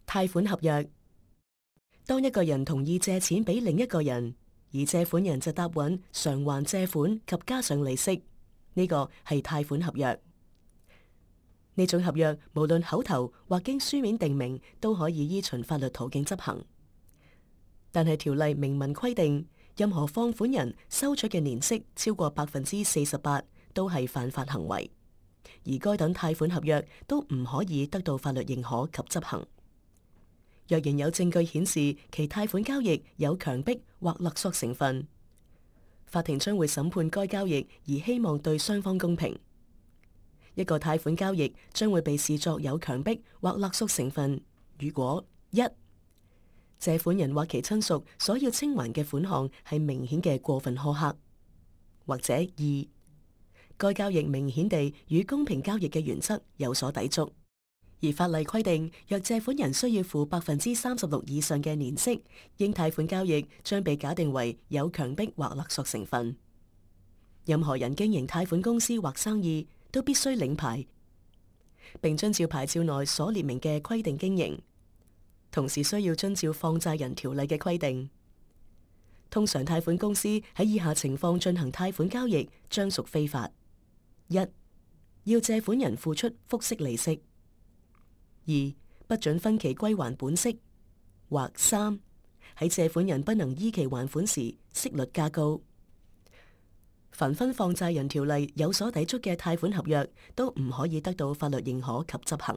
貸款合約。當一個人同意借錢俾另一個人，而借款人就答允償還借款及加上利息，呢個係貸款合約。呢種合約無論口頭或經書面定明，都可以依循法律途徑執行。但係條例明文規定，任何放款人收取嘅年息超過48%，都係犯法行為，而該等貸款合約都唔可以得到法律認可及執行。若然有證據顯示其貸款交易有強迫或勒索成分，法庭將會審判該交易，而希望對雙方公平。一個貸款交易將會被視作有強迫或勒索成分，如果一、借款人或其親屬所要清還嘅款項係明顯嘅過分苛刻，或者二、該交易明顯地與公平交易嘅原則有所抵觸。而法例規定，若借款人需要付36%以上嘅年息，應貸款交易將被假定為有強迫或勒索成分。任何人經營貸款公司或生意，都必須領牌，並遵照牌照內所列明嘅規定經營，同時需要遵照放債人條例嘅規定。通常貸款公司喺以下情況進行貸款交易，將屬非法：一、要借款人付出複息利息；二、不准分期歸還本息；或三、喺借款人不能依期還款時，息率加高。凡分放債人條例有所抵觸嘅貸款合約，都唔可以得到法律認可及執行。